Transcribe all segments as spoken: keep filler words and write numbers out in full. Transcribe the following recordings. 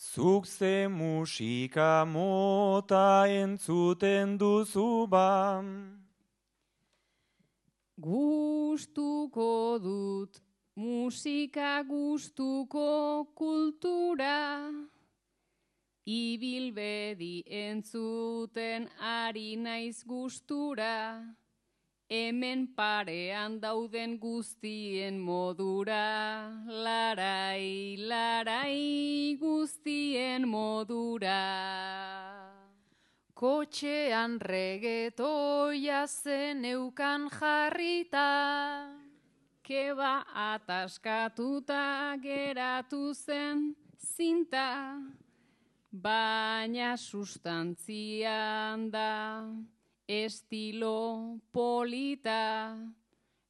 Zuk ze musika mota entzuten duzu ba. Gustuko dut musika, gustuko kultura, ibilbedi entzuten ari naiz gustura, hemen parean dauden guztien modura, larai, larai, guztien modura. Kotxean regetoia zeneukan jarrita, Keba ataskatuta geratu zen zinta, baina sustantzian da estilo polita,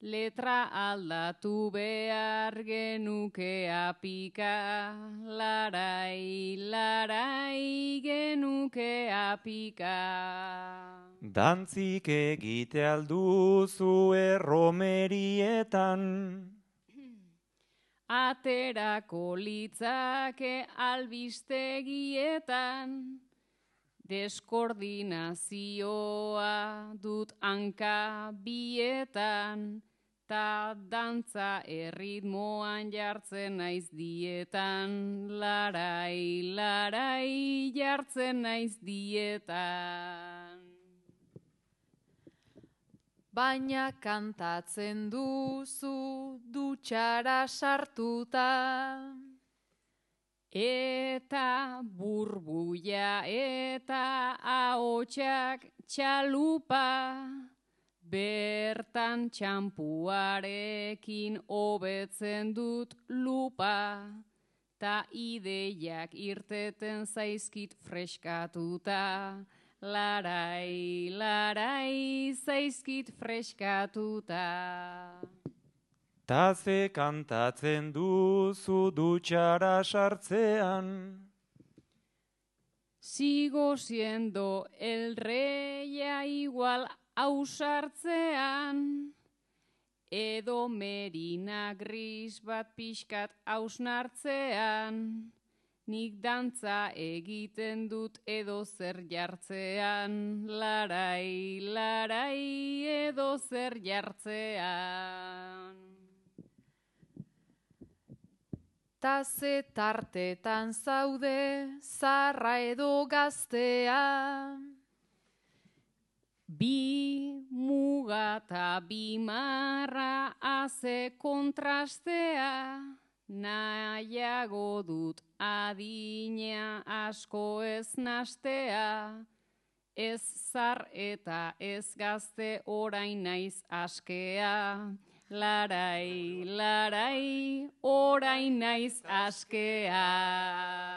letra aldatu behar genuke apika, larai, larai, genuke apika. Dantzik egite alduzu erromerietan. Aterako litzake albistegietan, deskoordinazioa dut hanka bietan, ta dantza erritmoan jartzen naiz dietan, larai, larai, jartzen naiz dietan. baina kantatzen duzu dutxara sartuta. Eta burbuia eta ahotsak txalupa, bertan txampuarekin hobetzen dut lupa, ta ideiak irteten zaizkit freskatuta, larai, larai, zaizkit freskatuta. Ta ze kantatzen duzu dutxara sartzean. Sigo siendo el reia igual ausartzean, edo merina gris bat pixkat ausnartzean, nik dantza egiten dut edo zer jartzean, larai, larai, edo zer jartzean. Ta ze tartetan zaude zarra edo gaztea. Bi muga eta bi marra haze kontrastea, nahiago dut adina asko ez nastea, ez zar eta ez gazte orain naiz askea, larai, larai, orain naiz askea.